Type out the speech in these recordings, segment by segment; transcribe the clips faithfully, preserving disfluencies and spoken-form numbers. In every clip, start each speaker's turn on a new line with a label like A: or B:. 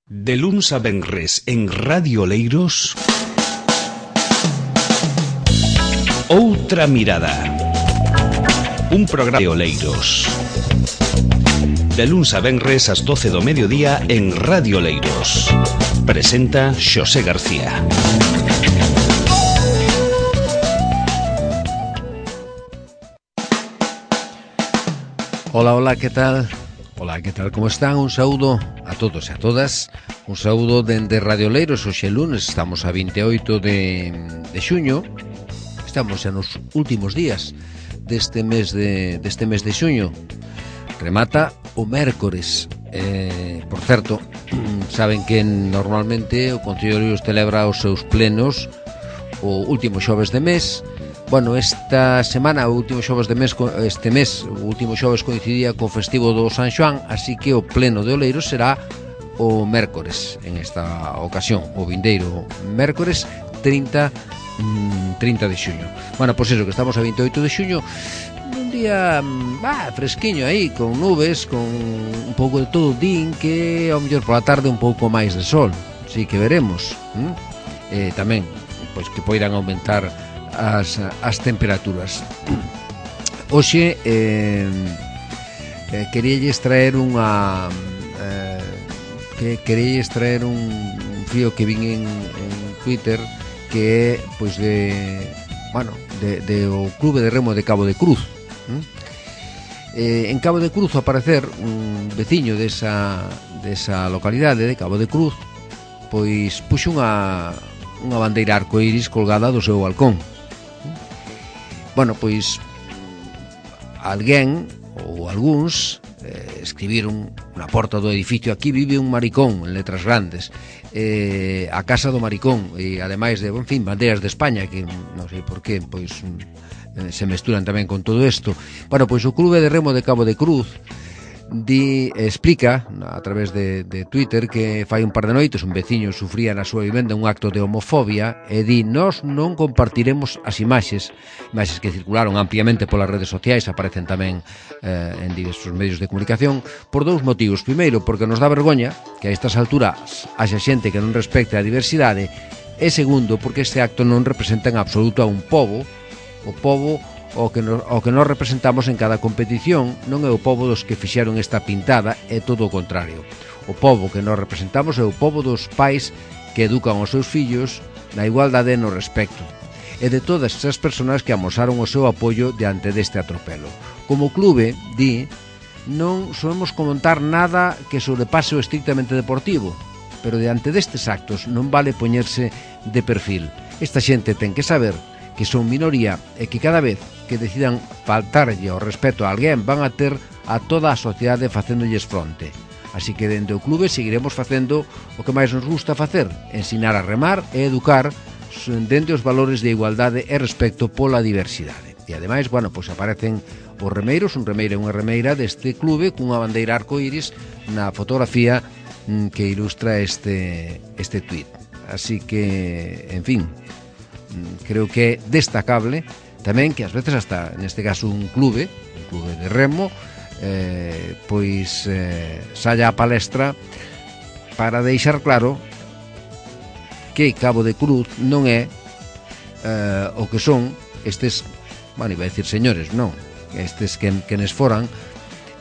A: De luns a venres en Radio Oleiros, Outra Mirada, un programa de Oleiros. De luns a venres ás doce do mediodía en Radio Oleiros. Presenta Xosé García.
B: Hola, hola, que tal? Hola, que tal, como están? Un saúdo a todos e a todas. Un saúdo dende Radio Oleiros. Hoxe lunes, estamos a vinte e oito de, de xuño. Estamos xa nos últimos días deste mes de, deste mes de xuño. Remata o mércores. Eh, por certo, saben que normalmente o Concello de Oleiros celebra os seus plenos o último xoves de mes. Bueno, esta semana, o último xoves de mes, este mes, o último xoves coincidía co festivo do San Xoán, así que o pleno de Oleiros será o mércores, en esta ocasión, o vindeiro mércores trinta de xuño. Bueno, pois eso, que estamos a vinte e oito de xuño, un día bah, fresquiño aí, con nubes, con un pouco de todo, din que ao mellor pola tarde un pouco máis de sol, así que veremos. ¿Mm? Eh, tamén, pois que poidan aumentar As, as temperaturas. Hoxe eh, eh, queríalles traer unha eh, que queríalles traer un, un fío que vin en, en Twitter, que é pois de bueno, de, de o Clube de Remo de Cabo de Cruz. ¿Mm? Eh, en Cabo de Cruz, ao parecer, un veciño desa, desa localidade de Cabo de Cruz pois puxo unha unha bandeira arcoíris colgada do seu balcón. Bueno, pois alguén ou algúns eh, escribiron na porta do edificio: aquí vive un maricón, en letras grandes, eh, a casa do maricón, e ademais de, en fin, bandeiras de España, que non sei por qué, pois eh, se mesturan tamén con todo isto. Bueno, pois o Clube de Remo de Cabo de Cruz di, explica a través de, de Twitter que fai un par de noites un veciño sufría na súa vivenda un acto de homofobia e di: nós non compartiremos as imaxes imaxes que circularon ampliamente polas redes sociais, aparecen tamén eh, en diversos medios de comunicación, por dous motivos. Primeiro, porque nos dá vergoña que a estas alturas haxa xente que non respecte a diversidade, e segundo, porque este acto non representa en absoluto a un pobo, o pobo o que, nos, o que nos representamos en cada competición non é o pobo dos que fixeron esta pintada, é todo o contrario. O pobo que nos representamos é o pobo dos pais que educan os seus fillos na igualdade e no respecto, e de todas esas persoas que amosaron o seu apoio diante deste atropelo. Como clube, di, non solemos comentar nada que sobrepase o estrictamente deportivo, pero diante destes actos non vale poñerse de perfil. Esta xente ten que saber que son minoría e que cada vez que decidan faltarlle ao respeto a alguén van a ter a toda a sociedade facéndolles fronte. Así que dende o clube seguiremos facendo o que máis nos gusta facer: ensinar a remar e educar dende os valores de igualdade e respecto pola diversidade. E ademais, bueno, pois aparecen os remeiros, un remeiro e unha remeira deste clube cunha bandeira arcoíris na fotografía que ilustra este, este tuit. Así que, en fin, creo que é destacable tamén que ás veces hasta neste caso un clube, un clube de remo, eh, pois eh, saia a palestra para deixar claro que Cabo de Cruz non é eh, o que son estes, bueno, iba a decir señores, non, estes que, quenes foran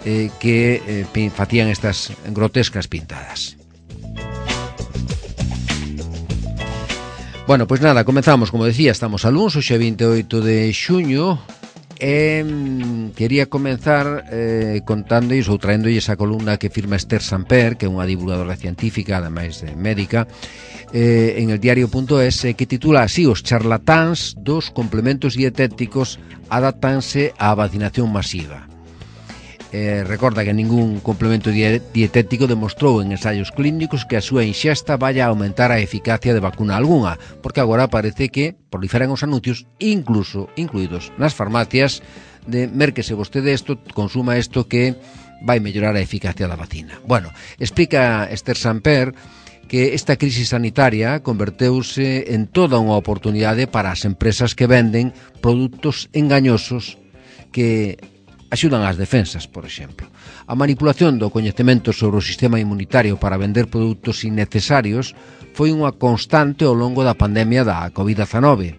B: eh, que eh, facían estas grotescas pintadas. Bueno, pois nada, comenzamos, como decía, estamos a luns, hoxe vinte e oito de xuño, e quería comenzar eh, contándois ou traéndolles a columna que firma Esther Samper, que é unha divulgadora científica, ademais de médica, eh, en el diario punto es, eh, que titula así: os charlatáns dos complementos dietéticos adaptanse á vacinación masiva. Eh, recorda que ningún complemento dietético demostrou en ensaios clínicos que a súa inxesta vaya a aumentar a eficacia de vacuna algunha, porque agora parece que proliferan os anuncios, incluso incluídos nas farmacias, de mérquese vostede isto, consuma isto que vai mellorar a eficacia da vacina. Bueno, explica Esther Samper que esta crisis sanitaria converteuse en toda unha oportunidade para as empresas que venden produtos engañosos que axudan ás defensas, por exemplo. A manipulación do coñecemento sobre o sistema inmunitario para vender produtos innecesarios foi unha constante ao longo da pandemia da covid dezanove.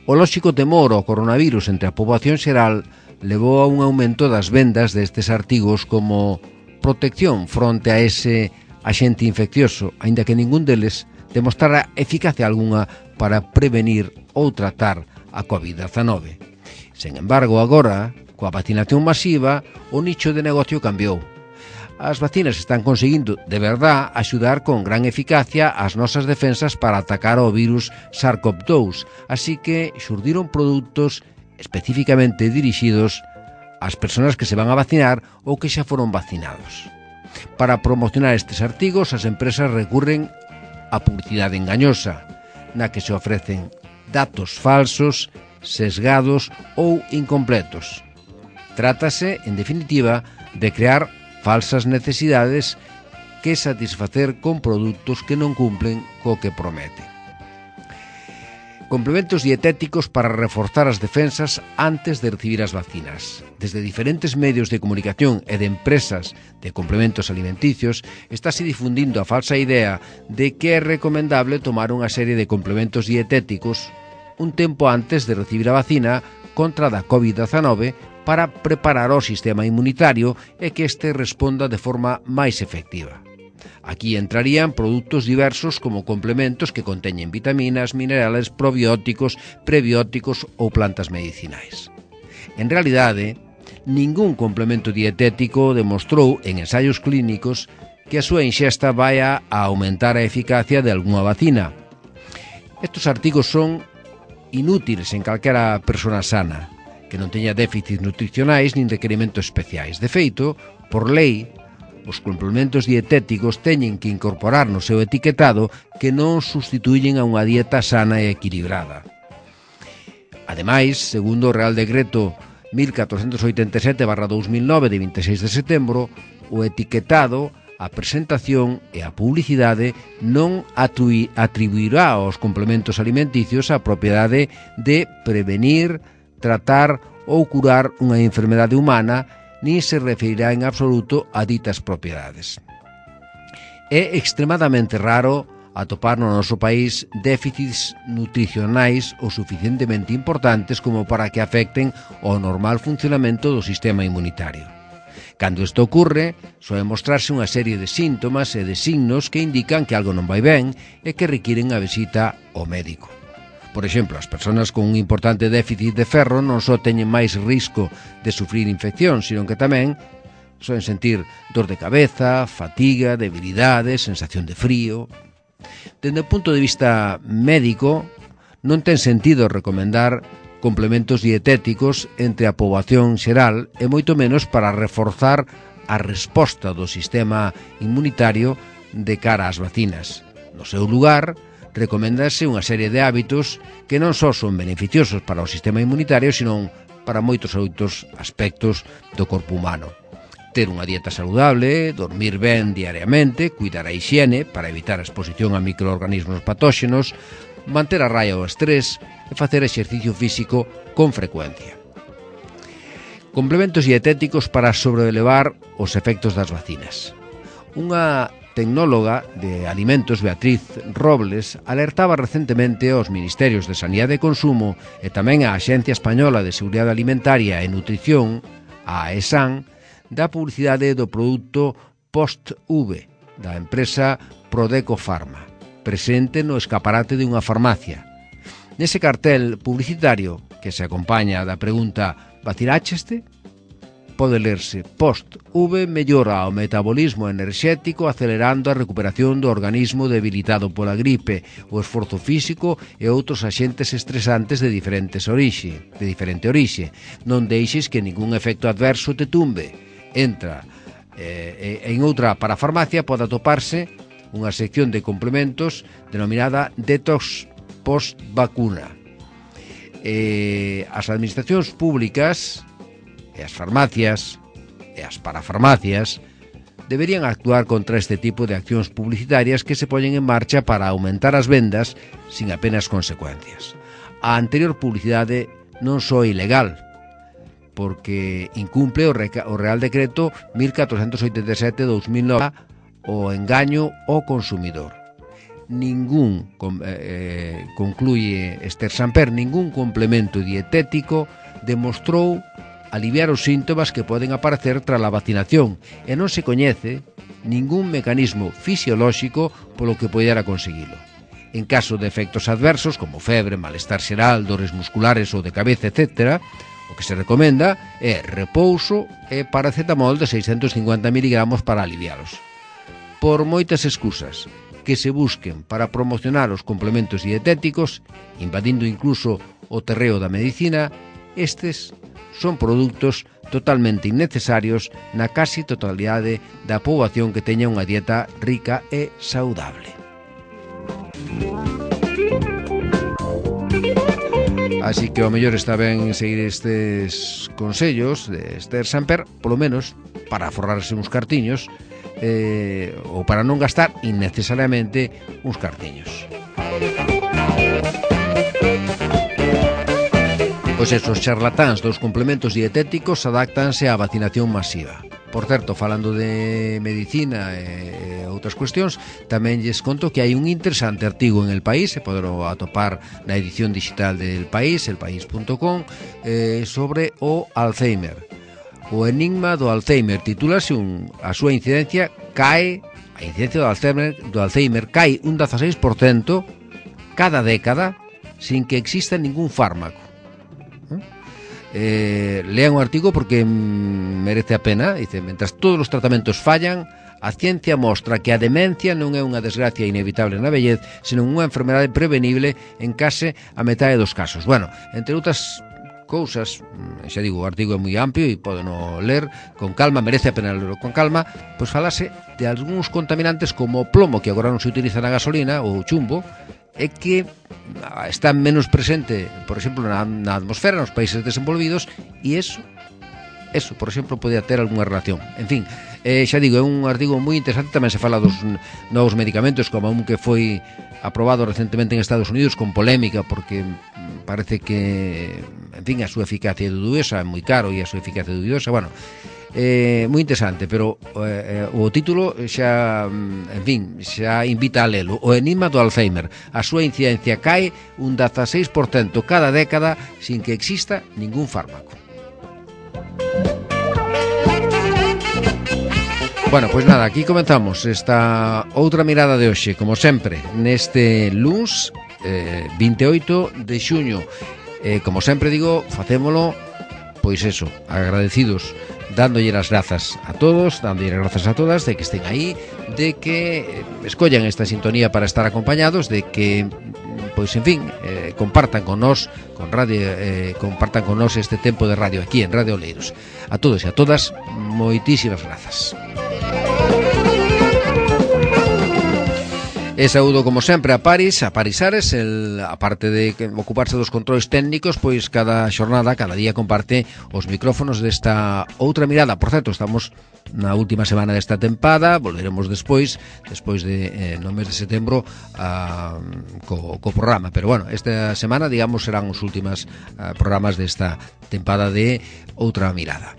B: O lóxico temor ao coronavirus entre a poboación xeral levou a un aumento das vendas destes artigos como protección fronte a ese axente infeccioso, aínda que ningún deles demostrara eficacia algunha para prevenir ou tratar a covid dezanove. Sen embargo, agora, coa vacinación masiva, o nicho de negocio cambiou. As vacinas están conseguindo, de verdad, axudar con gran eficacia as nosas defensas para atacar o virus SARS-CoV dous, así que xurdiron produtos especificamente dirixidos ás persoas que se van a vacinar ou que xa foron vacinados. Para promocionar estes artigos, as empresas recurren á publicidade engañosa, na que se ofrecen datos falsos, sesgados ou incompletos. Trátase, en definitiva, de crear falsas necesidades que satisfacer con produtos que non cumplen co que prometen. Complementos dietéticos para reforzar as defensas antes de recibir as vacinas. Desde diferentes medios de comunicación e de empresas de complementos alimenticios estáse difundindo a falsa idea de que é recomendable tomar unha serie de complementos dietéticos un tempo antes de recibir a vacina contra da covid dezanove para preparar o sistema inmunitario e que este responda de forma máis efectiva. Aquí entrarían produtos diversos como complementos que conteñen vitaminas, minerales, probióticos, prebióticos ou plantas medicinais. En realidade, ningún complemento dietético demostrou en ensaios clínicos que a súa ingesta vaya a aumentar a eficacia de algunha vacina. Estes artigos son inútiles en calquera persona sana, que non teña déficits nutricionais nin requerimentos especiais. De feito, por lei, os complementos dietéticos teñen que incorporar no seu etiquetado que non sustituyen a unha dieta sana e equilibrada. Ademais, segundo o Real Decreto mil catrocentos oitenta e sete barra dos mil nove de vinte e seis de setembro, o etiquetado, a presentación e a publicidade non atribuirá aos complementos alimenticios a propiedade de prevenir, tratar ou curar unha enfermedade humana, nin se referirá en absoluto a ditas propiedades. É extremadamente raro atopar no noso país déficits nutricionais o suficientemente importantes como para que afecten ao normal funcionamento do sistema inmunitario. Cando isto ocurre, soe mostrarse unha serie de síntomas e de signos que indican que algo non vai ben e que requiren a visita ao médico. Por exemplo, as persoas con un importante déficit de ferro non só teñen máis risco de sufrir infección, sino que tamén soen sentir dor de cabeza, fatiga, debilidade, sensación de frío. Dende o punto de vista médico, non ten sentido recomendar complementos dietéticos entre a poboación xeral e moito menos para reforzar a resposta do sistema inmunitario de cara ás vacinas. No seu lugar, recoméndase unha serie de hábitos que non só son beneficiosos para o sistema inmunitario, sino para moitos outros aspectos do corpo humano. Ter unha dieta saludable, dormir ben diariamente, cuidar a hixiene para evitar a exposición a microorganismos patóxenos, manter a raya o estrés e facer exercicio físico con frecuencia. Complementos dietéticos para sobrelevar os efectos das vacinas. Unha tecnóloga de alimentos, Beatriz Robles, alertaba recentemente aos Ministerios de Sanidade e Consumo e tamén á Axencia Española de Seguridade Alimentaria e Nutrición, a AESAN, da publicidade do produto Post-V, da empresa Prodeco Pharma, presente no escaparate de unha farmacia. Nese cartel publicitario, que se acompaña da pregunta "Vacinácheste?", pode lerse: Post-V mellora o metabolismo enerxético acelerando a recuperación do organismo debilitado pola gripe, o esforzo físico e outros axentes estresantes de diferentes orixe, de diferente orixe. Non deixes que ningún efecto adverso te tumbe. Entra eh, en outra parafarmacia pode atoparse unha sección de complementos denominada Detox Post-Vacuna. Eh, as administracións públicas e as farmacias e as parafarmacias deberían actuar contra este tipo de accións publicitarias que se poñen en marcha para aumentar as vendas sin apenas consecuencias. A anterior publicidade non só é ilegal, porque incumple o, reca, o Real Decreto mil catrocentos oitenta e sete barra dos mil nove o engaño ao consumidor. Ningún, eh, concluye Esther Samper, ningún complemento dietético demostrou aliviar os síntomas que poden aparecer tras a vacinación e non se coñece ningún mecanismo fisiolóxico polo que poidera conseguilo. En caso de efectos adversos, como febre, malestar xeral, dores musculares ou de cabeza, etcétera, o que se recomenda é repouso e paracetamol de seiscentos cincuenta miligramos para alivialos. Por moitas excusas que se busquen para promocionar os complementos dietéticos, invadindo incluso o terreo da medicina, estes son produtos totalmente innecesarios na casi totalidade da poboación que teña unha dieta rica e saudable. Así que o mellor está ben seguir estes consellos de Esther Samper, polo menos para forrarse uns cartiños eh, ou para non gastar innecesariamente uns cartiños. Pois esos charlatáns dos complementos dietéticos adáctanse á vacinación masiva. Por certo, falando de medicina e outras cuestións, tamén lles conto que hai un interesante artigo en El País, se poderlo atopar na edición digital del País, el país punto com, eh, sobre o Alzheimer. O enigma do Alzheimer titúlase un, a súa incidencia cae, a incidencia do Alzheimer, do Alzheimer cae un dieciséis por cento cada década sin que exista ningún fármaco. Eh, lean o artigo porque merece a pena. Dice, mentras todos os tratamentos fallan, a ciencia mostra que a demencia non é unha desgracia inevitable na vellez, senón unha enfermedade prevenible en case a metade dos casos. Bueno, entre outras cousas, xa digo, o artigo é moi amplio e podeno ler con calma, merece a pena lerlo con calma. Pois falase de algúns contaminantes como o plomo, que agora non se utiliza na gasolina, ou chumbo, é que está menos presente, por exemplo, na, na atmosfera nos países desenvolvidos, e eso, eso, por exemplo, podía ter algunha relación. En fin, eh, xa digo, é un artigo moi interesante. Tamén se fala dos novos medicamentos, como un que foi aprobado recentemente en Estados Unidos con polémica, porque parece que, en fin, a súa eficacia é dudosa, é moi caro e a súa eficacia é dudosa. Bueno, Eh, moi interesante, pero eh, o título xa, en fin, xa invita a lelo. O enigma do Alzheimer. A súa incidencia cae un dieciséis por cento cada década sin que exista ningún fármaco. Bueno, pois nada, aquí comenzamos esta outra mirada de hoxe, como sempre, neste luns eh, vinte e oito de xuño. Eh, como sempre digo, facémolo, pois eso, agradecidos, dándolle as grazas a todos, dándolle as grazas a todas de que estén aí, de que escollan esta sintonía para estar acompañados, de que, pois en fin, eh, compartan con nós, con radio, eh, compartan con nós este tempo de radio aquí en Radio Oleiros. A todos e a todas, moitísimas grazas. E saúdo como sempre a Paris, a Paris Ares, el, aparte de ocuparse dos controles técnicos, pois cada xornada, cada día comparte os micrófonos desta outra mirada. Por certo, estamos na última semana desta tempada, volveremos despois, despois de eh, no mes de setembro a, co, co programa, pero bueno, esta semana, digamos, serán os últimos uh, programas desta tempada de outra mirada.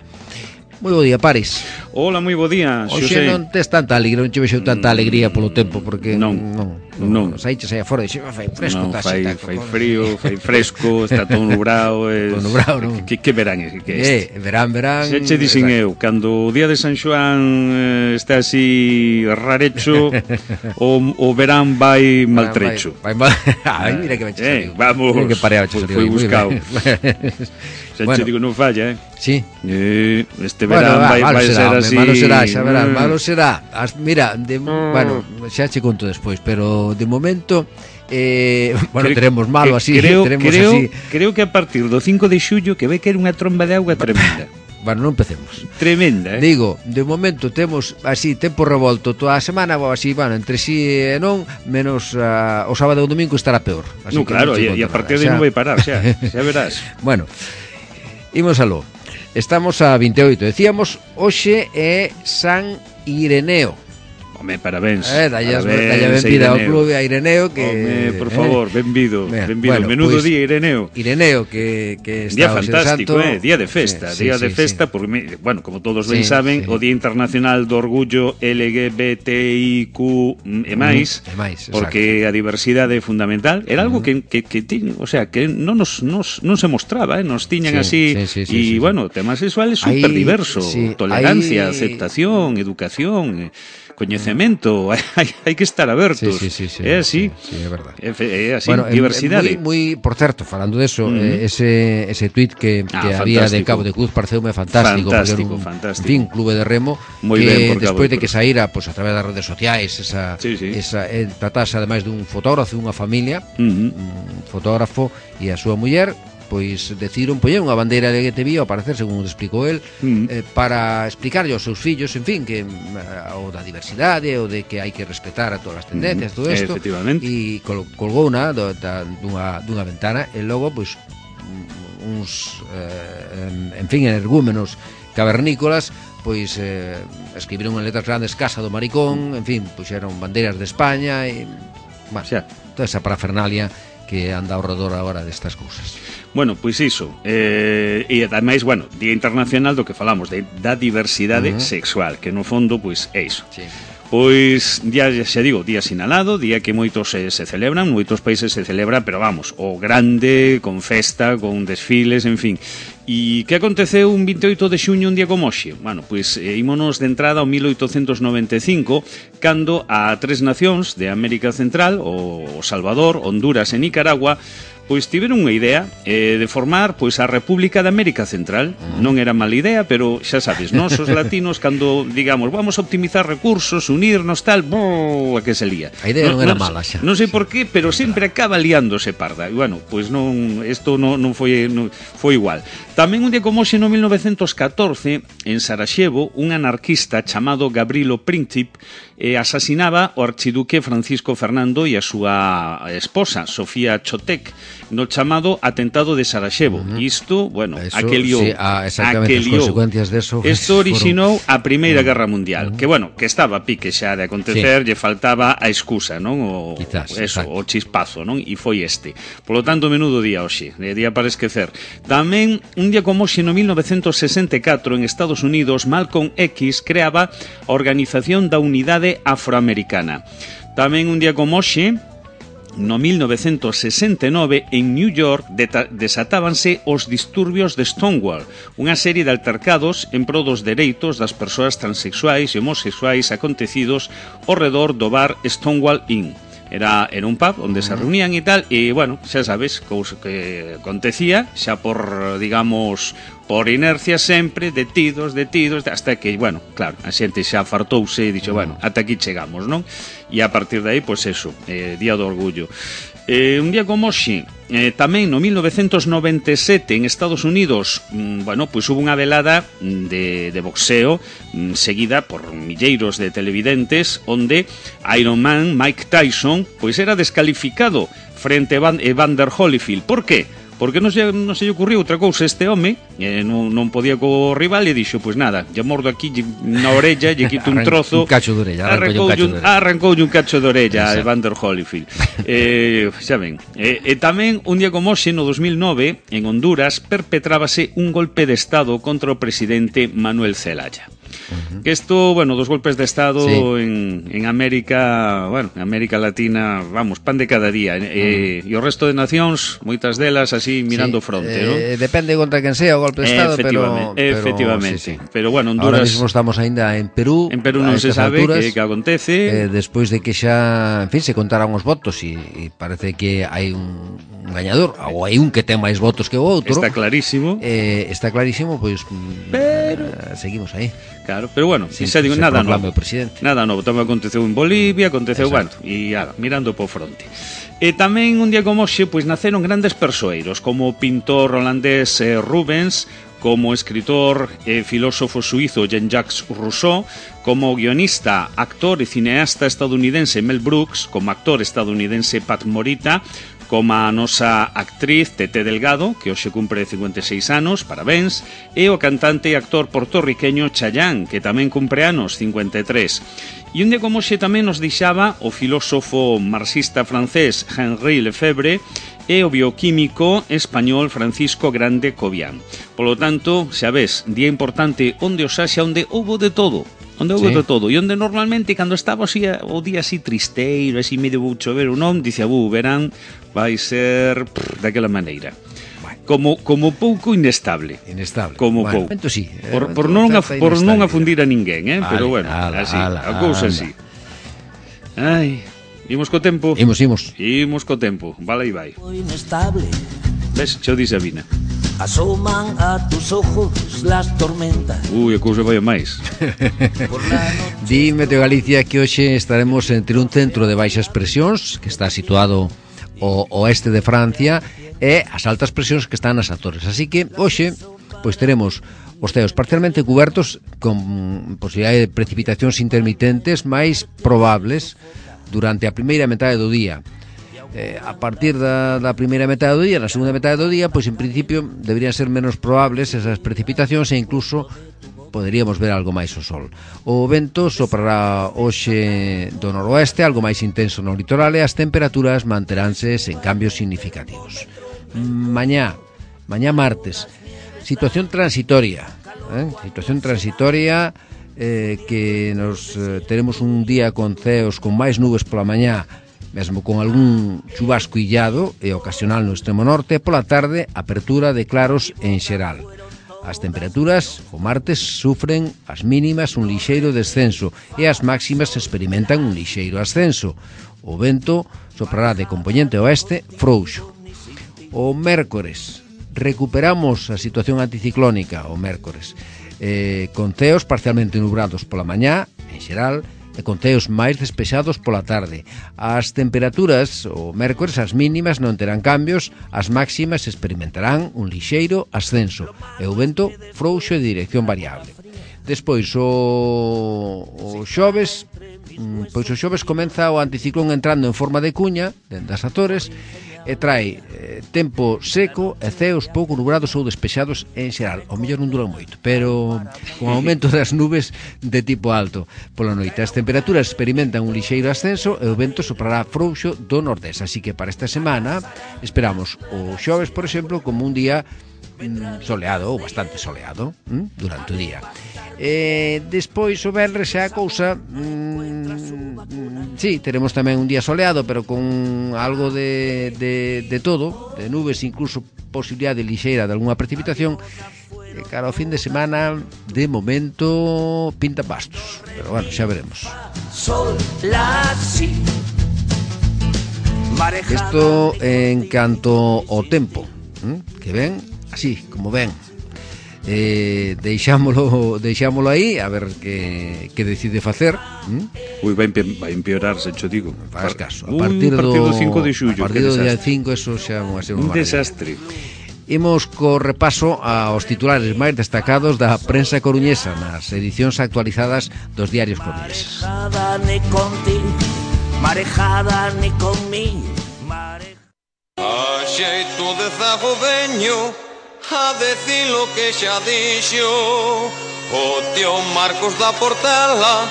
B: Moi bo día, Paris.
C: Hola, moi bo día,
B: Xosé.
C: Xosé.
B: Non tes tanta alegría, non che vexo tanta alegría polo tempo, porque
C: non,
B: non,
C: non.
B: Saíches aí afora e xe fai fresco,
C: non,
B: tá
C: fai,
B: xeta,
C: fai frío, fai fresco, está todo nubrado, es...
B: todo nubrado, non?
C: Que, que verán é que este?
B: Eh, verán, verán.
C: Se che dixen eu, cando o día de San Xoán eh, está así rarecho, o, o verán vai maltrecho.
B: Vai, vai, vai. Ai, mira que me
C: eh, vamos,
B: mira que pareado che
C: foi buscado. Se
B: bueno.
C: che digo, non falla, eh?
B: Sí.
C: Eh, este
B: Bueno,
C: verán
B: va,
C: vai, vai
B: será,
C: ser
B: hombre,
C: así.
B: malo será, xa verás, malo será. As, mira, de, bueno, xa che conto despois, pero de momento eh, bueno,
C: creo,
B: teremos malo así,
C: creo,
B: teremos
C: creo,
B: así.
C: Creo que a partir do cinco de xullo que ve que era unha tromba de auga tremenda.
B: Bueno, non empecemos.
C: Tremenda, eh?
B: Digo, de momento temos así tempo revolto toda a semana, así, bueno, entre sí e non, menos uh, o sábado e o domingo estará peor. Así
C: no,
B: que
C: claro,
B: non
C: e a partir de
B: xa...
C: non vai parar, xa, xa verás.
B: Bueno, imos aló. Estamos a vinte e oito, decíamos, hoxe é San Ireneo.
C: Home, parabéns.
B: Eh, dalle a benvida ao clube a Ireneo que
C: Home, por favor, eh, benvido, benvido.
B: Bueno,
C: Menudo
B: pues,
C: día Ireneo.
B: Ireneo que que está
C: día fantástico, eh, día de festa,
B: sí,
C: día
B: sí,
C: de
B: sí,
C: festa
B: sí.
C: porque bueno, como todos ben
B: sí,
C: saben,
B: sí.
C: o Día Internacional do Orgullo L G B T I Q e máis,
B: mm, e máis
C: porque a diversidade é fundamental. Era algo que que que ti, o sea, que non nos nos non se mostraba, eh, nos tiñan
B: sí,
C: así
B: sí, sí, sí,
C: y
B: sí, sí.
C: bueno, tema sexual é super diverso,
B: sí,
C: tolerancia,
B: hay...
C: aceptación, educación, coñecemento, hai, hai que estar abertos.
B: Sí, sí, sí, sí,
C: é así.
B: Sí, sí, é verdade.
C: É, é así,
B: bueno,
C: diversidade.
B: Moi, moi, por certo, falando de eso,
C: uh -huh.
B: eh, ese ese tuit que,
C: ah,
B: que había de Cabo de Cruz pareceume fantástico,
C: fantástico,
B: porque era un,
C: fantástico.
B: En fin, clube de remo
C: Muy
B: que
C: ben,
B: despois
C: de,
B: de que saíra pues, a través das redes sociais, esa,
C: sí, sí.
B: esa eh, tratase ademais dun fotógrafo e unha familia,
C: uh -huh.
B: un fotógrafo e a súa muller, pois decidiron poñer unha bandeira L G T B I ao parecer, según explicou el, mm. eh, para explicarlle aos seus fillos, en fin, que uh, o da diversidade, o de que hai que respetar a todas as tendencias, mm. todo isto, e col colgou unha do, da, dunha, dunha ventana, e logo, pois, uns, eh, en fin, energúmenos cavernícolas, pois eh, escribiron en letras grandes Casa do Maricón, en fin, puxeron bandeiras de España, e, bueno, xa, toda esa parafernalia que anda ao redor agora destas cousas.
C: Bueno, pois iso, eh, e ademais, bueno, Día Internacional do que falamos, de, da diversidade uh -huh. sexual, que no fondo, pois, é iso.
B: Sí.
C: Pois, día, xa digo, día sinalado, día que moitos se, se celebran, moitos países se celebran, pero vamos, o grande, con festa, con desfiles, en fin. E que aconteceu un vinte e oito de xuño, un día como hoxe? Bueno, pois eh, ímonos de entrada ao mil oitocentos noventa e cinco, cando a tres nacións de América Central, o Salvador, Honduras e Nicaragua, pois tiveron unha idea eh, de formar pois a República de América Central. Uh-huh. Non era mala idea, pero xa sabes, nós os latinos cando digamos, vamos a optimizar recursos, unirnos tal, brrr, a que se lía.
B: A idea non, non era
C: non,
B: mala xa.
C: Non sei por qué, pero sempre acaba liándose parda. E bueno, pois non, isto non, non foi non, foi igual. Tamén un día como hoxe no mil novecentos catorce, en Sarajevo, un anarquista chamado Gavrilo Princip eh, asasinaba o archiduque Francisco Fernando e a súa esposa, Sofía Chotek, no chamado atentado de Sarajevo. Uh -huh. Isto, bueno,
B: eso,
C: aquelio,
B: sí, ah, exactamente, as consecuencias de eso.
C: Isto orixinou
B: fueron...
C: a Primeira uh -huh. Guerra Mundial, uh -huh. que bueno, que estaba a pique xa de acontecer, sí. lle faltaba a excusa, non? O
B: Quizás,
C: eso,
B: exacto.
C: o chispazo, non? E foi este. Polo tanto, menudo día hoxe, de día para esquecer. Tamén un día como hoxe no mil novecentos sesenta e catro en Estados Unidos, Malcolm X creaba a Organización da Unidade Afroamericana. Tamén un día como hoxe no mil novecentos sesenta e nove, en New York, desatábanse os disturbios de Stonewall, unha serie de altercados en pro dos dereitos das persoas transexuais e homosexuais acontecidos ao redor do bar Stonewall Inn. Era, era un pub onde se reunían e tal, e, bueno, xa sabes, cousa que acontecía, xa por, digamos, por inercia sempre, detidos, detidos, hasta que, bueno, claro, a xente xa fartouse e dixo, bueno, ata aquí chegamos, non? E a partir de aí, pois eso, eh, Día do Orgullo. Eh, un día como hoxe, eh, tamén no mil novecentos noventa e sete en Estados Unidos, mm, bueno, pois hubo unha velada de, de boxeo mm, seguida por milleiros de televidentes, onde Iron Man, Mike Tyson, pois era descalificado frente a Van, Evander Holyfield. Por qué? Porque non se, non se lle ocurriu outra cousa este home, eh, non, non podía co rival, e dixo, pois nada, lle mordo aquí na orella, lle quito un trozo,
B: un cacho de orella,
C: arrancoulle un cacho de orella a Evander Holyfield. eh, xa ven, eh, e tamén un día como hoxe, no dos mil nove, en Honduras, perpetrábase un golpe de estado contra o presidente Manuel Zelaya. Uh -huh. Que isto, bueno, dos golpes de estado sí. en, en América, bueno, en América Latina, vamos, pan de cada día, uh -huh. eh, e o resto de nacións, moitas delas así mirando sí. fronte,
B: eh,
C: ¿no?
B: Depende contra quen sea o golpe de estado,
C: efectivamente,
B: pero, pero
C: efectivamente,
B: sí, sí.
C: pero bueno, Honduras...
B: Ahora mismo estamos aínda en Perú.
C: En Perú non se sabe alturas, que, que acontece.
B: Eh, despois de que xa, en fin, se contaran os votos e, e parece que hai un, un gañador, ou hai un que ten máis votos que o outro.
C: Está clarísimo.
B: Eh, está clarísimo, pois
C: pero...
B: eh, seguimos aí.
C: Claro, pero bueno,
B: sí,
C: xa digo, nada novo.
B: Presidente.
C: Nada novo, tamén aconteceu en Bolivia, aconteceu, bueno, e ah, mirando po fronte. E tamén un día como hoxe, pois naceron grandes persoeiros, como o pintor holandés eh, Rubens, como escritor e filósofo suizo Jean-Jacques Rousseau, como guionista, actor e cineasta estadounidense Mel Brooks, como actor estadounidense Pat Morita, como a nosa actriz Tete Delgado, que hoxe cumpre cincuenta e seis anos, parabéns, e o cantante e actor portorriqueño Chayanne, que tamén cumpre anos, cincuenta e tres. E un día como xe tamén nos deixaba o filósofo marxista francés Henri Lefebvre e o bioquímico español Francisco Grande Cobian. Polo tanto, xa ves, día importante onde os haxa, onde houbo de todo. Onde houve sí. de todo. E onde normalmente, cando estaba así, o día así tristeiro, así medio vou chover ou non, dicía, bu, verán, vai ser prr, daquela maneira. Como, como pouco inestable.
B: Inestable.
C: Como
B: bueno,
C: pouco.
B: Sí,
C: por, por, non a, por non afundir a ninguén, eh? Vale, pero bueno,
B: ala,
C: así,
B: ala,
C: a cousa así. Ai, imos co tempo.
B: Imos, imos.
C: Imos co tempo. Vale e vai.
D: Inestable.
C: Ves, xo di Sabina.
D: Asoman a tus ojos las tormentas.
C: Ui, a cousa vai a máis.
B: Dime, Teo Galicia, que hoxe estaremos entre un centro de baixas presións que está situado ao oeste de Francia e as altas presións que están nas Azores. Así que hoxe pois teremos os ceos parcialmente cubertos con posibilidade de precipitacións intermitentes máis probables durante a primeira metade do día. Eh, a partir da, da primeira metade do día, na segunda metade do día, pois en principio deberían ser menos probables esas precipitacións e incluso poderíamos ver algo máis o sol. O vento soprará hoxe do noroeste, algo máis intenso no litoral, e as temperaturas manteránse sen cambios significativos. Mañá, mañá martes, situación transitoria, eh? situación transitoria eh, que nos eh, teremos un día con ceos con máis nubes pola mañá, mesmo con algún chubasco illado e ocasional no extremo norte, pola tarde apertura de claros en xeral. As temperaturas o martes sufren as mínimas un lixeiro descenso e as máximas experimentan un lixeiro ascenso. O vento soprará de compoñente oeste frouxo. O mércores recuperamos a situación anticiclónica o mércores, eh, con ceos parcialmente nubrados pola mañá, en xeral, e con ceos máis despexados pola tarde. As temperaturas, o mércores, as mínimas non terán cambios, as máximas experimentarán un lixeiro ascenso, e o vento frouxo de dirección variable. Despois, o, o xoves, pois o xoves comeza o anticiclón entrando en forma de cuña, dentro das Azores, e trae eh, tempo seco e ceos pouco nubrados ou despexados en xeral. O mellor non dura moito, pero con aumento das nubes de tipo alto pola noite. As temperaturas experimentan un lixeiro ascenso e o vento soprará frouxo do nordés. Así que para esta semana esperamos o xoves, por exemplo, como un día mm, soleado ou bastante soleado mm, durante o día. E despois o venres xa a cousa mm, sí, teremos tamén un día soleado, pero con algo de, de, de todo, de nubes, incluso posibilidade lixeira de algunha precipitación. E cara ao fin de semana, de momento pinta bastos, pero bueno, xa veremos. Isto en canto ao tempo, que ven así, como ven. Eh, deixámolo, deixámolo aí a ver que, que decide facer. ¿Mm?
C: Ui, vai, vai empeorar, se cho digo.
B: Faz caso. A partir do,
C: do cinco de xullo,
B: a partir do día cinco, eso xa vai ser
C: un
B: unha
C: desastre.
B: Imos co repaso aos titulares máis destacados da prensa coruñesa nas edicións actualizadas dos diarios coruñeses.
D: Marejada ni contigo, marejada ni conmigo.
E: A xeito de zago veño a decir lo que xa dixo o tío Marcos da Portela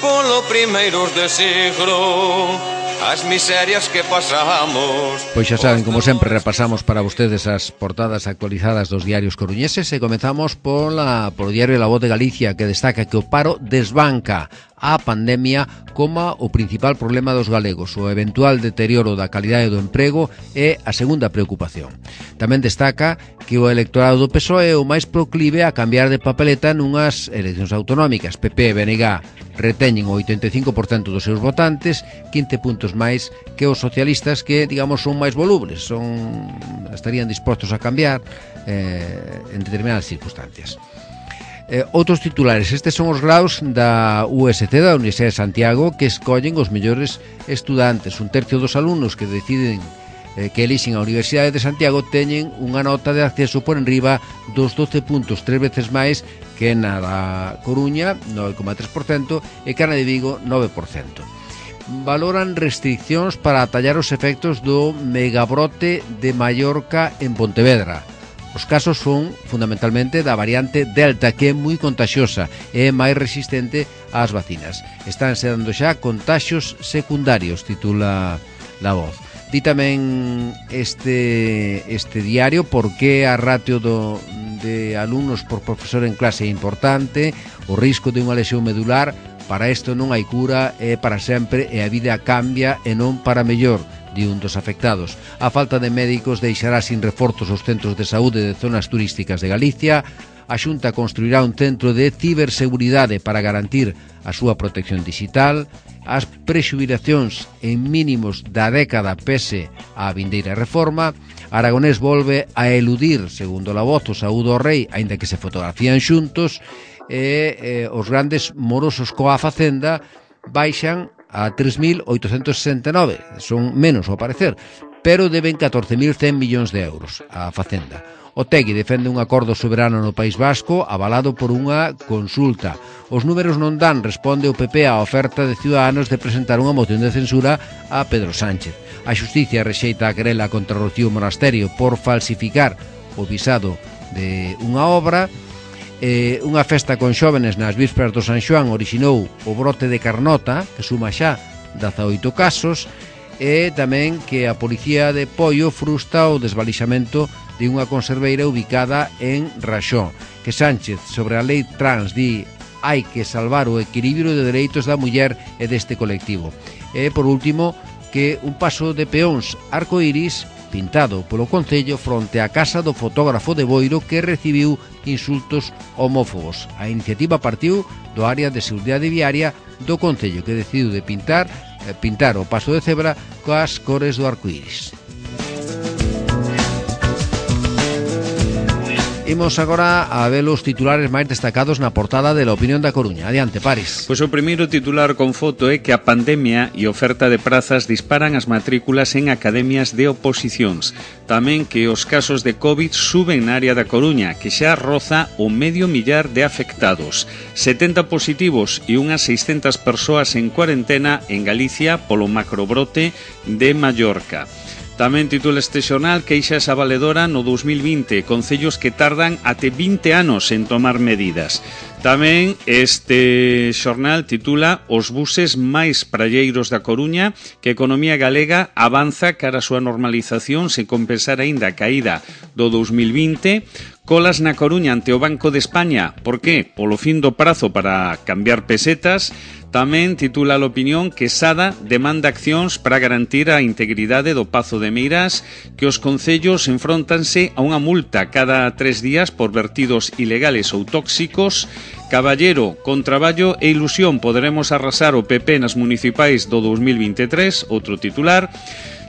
E: polo primeiros de siglo, as miserias que pasamos.
B: Pois xa saben, como sempre, repasamos para vostedes as portadas actualizadas dos diarios coruñeses e comezamos pola, polo diario La Voz de Galicia, que destaca que o paro desbanca a pandemia como o principal problema dos galegos. O eventual deterioro da calidade do emprego é a segunda preocupación. Tamén destaca que o electorado do P S O E é o máis proclive a cambiar de papeleta nunhas eleccións autonómicas. P P e B N G reteñen o oitenta e cinco por cento dos seus votantes, quince puntos máis que os socialistas, que, digamos, son máis volubles, son estarían dispostos a cambiar eh, en determinadas circunstancias. Eh, outros titulares, estes son os graus da U S C, da Universidade de Santiago, que escollen os mellores estudantes. Un tercio dos alumnos que deciden eh, que elixen a Universidade de Santiago teñen unha nota de acceso por enriba dos doce puntos, tres veces máis que na da Coruña, nove coma tres por cento, e que na de Vigo, nove por cento. Valoran restriccións para atallar os efectos do megabrote de Mallorca en Pontevedra. Os casos son fundamentalmente da variante Delta, que é moi contaxiosa e é máis resistente ás vacinas. Estánse dando xa contaxios secundarios, titula La Voz. Di tamén este, este diario por que a ratio do, de alumnos por profesor en clase é importante, o risco de unha lesión medular. Para isto non hai cura, é para sempre e a vida cambia e non para mellor, di un dos afectados. A falta de médicos deixará sin reforzos os centros de saúde de zonas turísticas de Galicia. A Xunta construirá un centro de ciberseguridade para garantir a súa protección digital. As prexubilacións en mínimos da década pese á vindeira reforma. Aragonés volve a eludir, segundo La Voz, o saúdo ao rei, aínda que se fotografían xuntos. E eh, os grandes morosos coa Facenda baixan a tres mil oitocentos sesenta e nove, son menos ao parecer, pero deben catorce mil cen millóns de euros a Facenda. Otegui defende un acordo soberano no País Vasco avalado por unha consulta. Os números non dan, responde o P P á oferta de Ciudadanos de presentar unha moción de censura a Pedro Sánchez. A Xusticia rexeita a querela contra Rocío Monasterio por falsificar o visado de unha obra. Eh, unha festa con xóvenes nas vísperas do San Xoán orixinou o brote de Carnota, que suma xa dezaoito casos, e tamén que a Policía de Poio frustra o desvalixamento de unha conserveira ubicada en Raxó. Que Sánchez, sobre a lei trans, di hai que salvar o equilibrio de dereitos da muller e deste colectivo. E, por último, que un paso de peóns arcoíris pintado polo Concello fronte á casa do fotógrafo de Boiro que recibiu insultos homófobos. A iniciativa partiu do área de seguridade viaria do Concello, que decidiu de pintar, eh, pintar o paso de cebra coas cores do arcoíris. Imos agora a ver os titulares máis destacados na portada de La Opinión da Coruña. Adiante, Paris.
C: Pois o primeiro titular con foto é que a pandemia e oferta de prazas disparan as matrículas en academias de oposicións. Tamén que os casos de COVID suben na área da Coruña, que xa roza o medio millar de afectados. setenta positivos e unhas seiscentas persoas en cuarentena en Galicia polo macrobrote de Mallorca. Tamén titula este xornal queixas a valedora no dous mil vinte, concellos que tardan até vinte anos en tomar medidas. Tamén este xornal titula os buses máis pralleiros da Coruña, que a economía galega avanza cara a súa normalización sen compensar aínda a caída do dous mil vinte. Colas na Coruña ante o Banco de España. Por qué? Polo fin do prazo para cambiar pesetas. Tamén titula a opinión que Sada demanda accións para garantir a integridade do Pazo de Meirás, que os concellos enfrontanse a unha multa cada tres días por vertidos ilegales ou tóxicos. Caballero, con traballo e ilusión poderemos arrasar o P P nas municipais do dous mil vinte e tres, outro titular.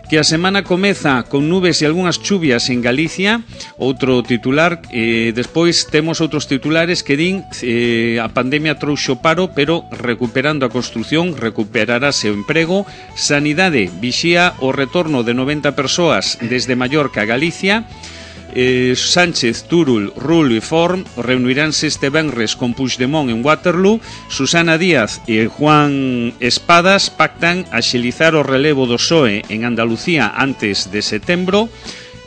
C: Que a semana comeza con nubes e algunhas chuvias en Galicia, outro titular. Eh, despois temos outros titulares que din eh, a pandemia trouxo paro, pero recuperando a construción recuperarase o emprego. Sanidade vixía o retorno de noventa persoas desde Mallorca a Galicia. Eh, Sánchez, Turull, Rull e Forn reuniránse este venres con Puigdemont en Waterloo. Susana Díaz e Juan Espadas pactan axilizar o relevo do P S O E en Andalucía antes de setembro.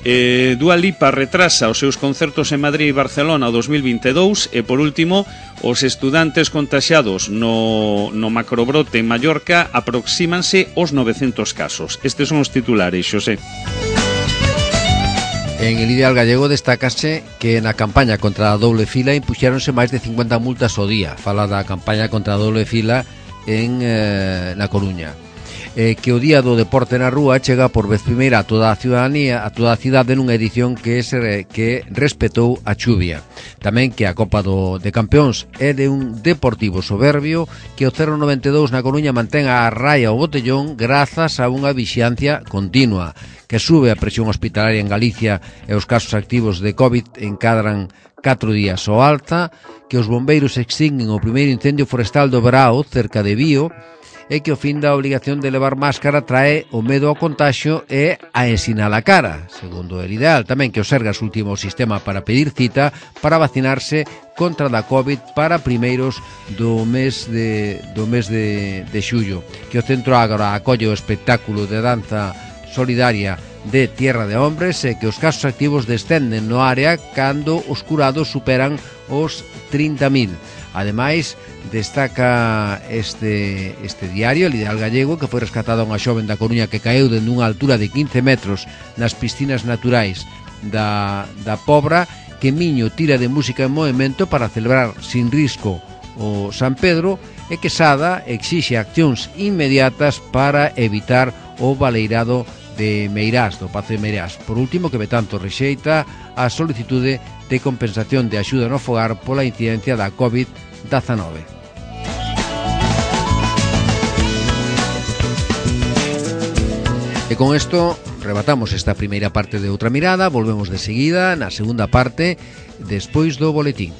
C: eh, Dua Lipa retrasa os seus concertos en Madrid e Barcelona o dos mil vinte e dous. E por último, os estudantes contaxiados no, no macrobrote en Mallorca aproxímanse os novecentos casos. Estes son os titulares, Xosé.
B: En el Ideal Gallego destácase que na campaña contra a doble fila impuxéronse máis de cincuenta multas ao día. Fala da campaña contra a doble fila en eh, na Coruña. Eh, que o Día do Deporte na Rúa chega por vez primeira a toda a ciudadanía, a toda a cidade nunha edición que se que respetou a chuvia. Tamén que a Copa do, de Campeóns é de un Deportivo soberbio, que o cero noventa e dous na Coruña mantén a raia ao botellón grazas a unha vixiancia continua. Que sube a presión hospitalaria en Galicia e os casos activos de COVID encadran catro días ao alta, que os bombeiros extinguen o primeiro incendio forestal do Brao, cerca de Bío, e que o fin da obligación de levar máscara trae o medo ao contagio e a ensinar a cara, segundo el Ideal. Tamén que o Sergas último sistema para pedir cita para vacinarse contra da COVID para primeiros do mes de, do mes de, de xullo. Que o Centro Ágora acolle o espectáculo de danza solidaria de Tierra de Hombres e que os casos activos descenden no área cando os curados superan os trinta mil. Ademais, destaca este, este diario, El Ideal Gallego, que foi rescatada unha xoven da Coruña que caeu dende unha altura de quince metros nas piscinas naturais da, da Pobra, que Miño tira de música en movimento para celebrar sin risco o San Pedro, e que Sada exixe accións inmediatas para evitar o baleirado de Meirás, do Pazo de Meirás. Por último, que Betanto rexeita a solicitude de compensación de axuda no fogar pola incidencia da covid diecinueve. E con isto rematamos esta primeira parte de Outra Mirada. Volvemos de seguida na segunda parte despois do boletín.